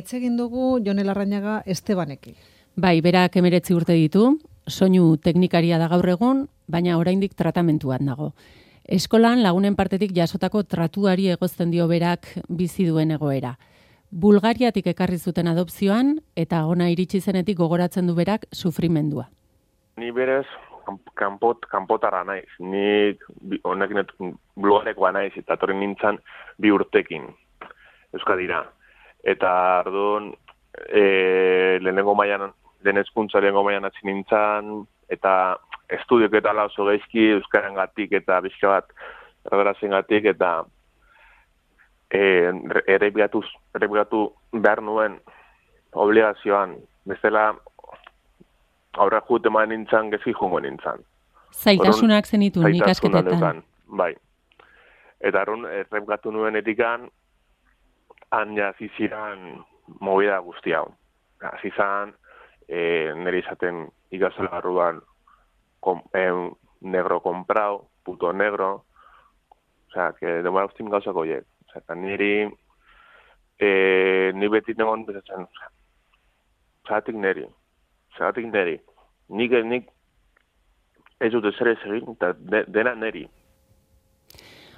Hitz egin dugu Jone Larrañaga Estebanekin. Bai, berak 19 urte ditu, soinu teknikaria da gaur egun, baina oraindik tratamentuan dago. Eskolan lagunen partetik jasotako tratuari egozten dio berak bizi duen egoera. Bulgariatik ekarri zuten adopzioan eta ona iritsi zenetik gogoratzen du berak sufrimendua. Ni berez kanpotarra naiz. Ni honekin Bulgarekoa naiz eta etorri nintzen 2 urtekin Euskadira. Eta orduan lehenengo mailan hasi nintzen eta estudiok eta oso gaizki euskarangatik eta bizka bat erdaraz-engatik eta errepikatu behar nuen obligazioan. Bestela aurra jute eman nintzen, gezi jungo nintzen. Zailtasunak zenituen ikasketetan. Bai. Eta errepikatu nuen etikan, han hasi ziren movida guzti hau. Hasi zan, nire izaten ikastola barruan negro comprado, puto negro, osea, que demora guztin gauzako hiek. Osea, ni beti negon bezatzen, zagatik niri. Nik ez dut ezer ez egin, eta dena niri.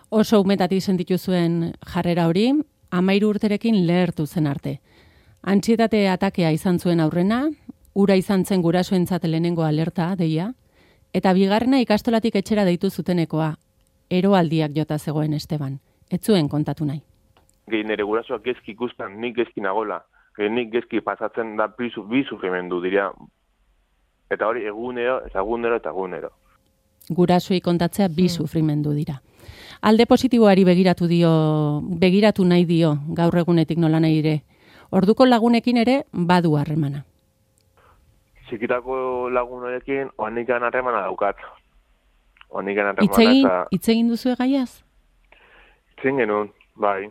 Oso umetatik sentitu zuen jarrera hori, 13 urterekin lehertu zen arte. Antsietate atakea izan zuen aurrena, ura izan zen gurasoentzat lehenengo alerta, deia, eta bigarrena ikastolatik etxera deitu zutenekoa, eroaldiak jota zegoen Esteban. Ez zuen kontatu nahi. Gehi nire gurasoak gezki ikusten, nik gezki nagola. Nik gezki pasatzen da bi sufrimendu, diria. Eta hori egunero. Gurasoei kontatzea bi sufrimendu dira. Alde positiboari begiratu nahi dio gaur egunetik nola nahi ere. Orduko lagunekin ere badu harremana. Txikitako lagun horiekin oanikan harremana daukat. Hitz egin duzu gaiaz? Itzen genuen, bai.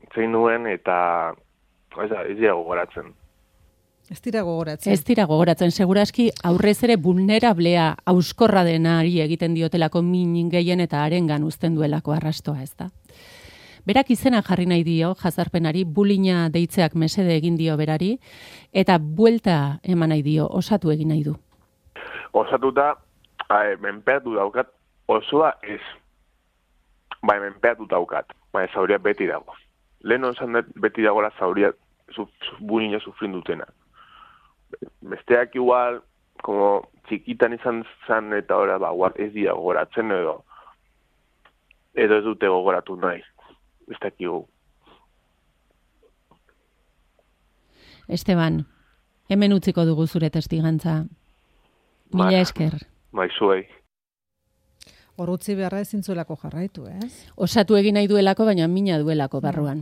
Itzen nuen eta ez dira gogoratzen. Ez dira gogoratzen. Seguraski aurrez ere vulnerablea, auskorra denari egiten diotelako min gehien eta harengan uzten duelako arrastoa, ez da? Berak izena jarri nahi dio, jazarpenari, bullyinga deitzeak mesede egin dio berari, eta buelta eman nahi dio, osatu egin nahi du. Osatuta, menpeatu daukat, osoa ez. Bai, menpeatu daukat, bai, zauria beti dago. Lehen osan beti dagoela zauria bullyinga sufrin dutena. Besteak igual, como txikitan izan zan eta ora, igual ez dira gogoratzen edo ez dute gogoratu nahi. Ez dakigu. Esteban, hemen utziko dugu zure testigantza. Mila esker. Bai, zuei. Hor utzi beharra ezin zuelako jarraitu, ez? Osatu egin nahi duelako, baina mina duelako barruan.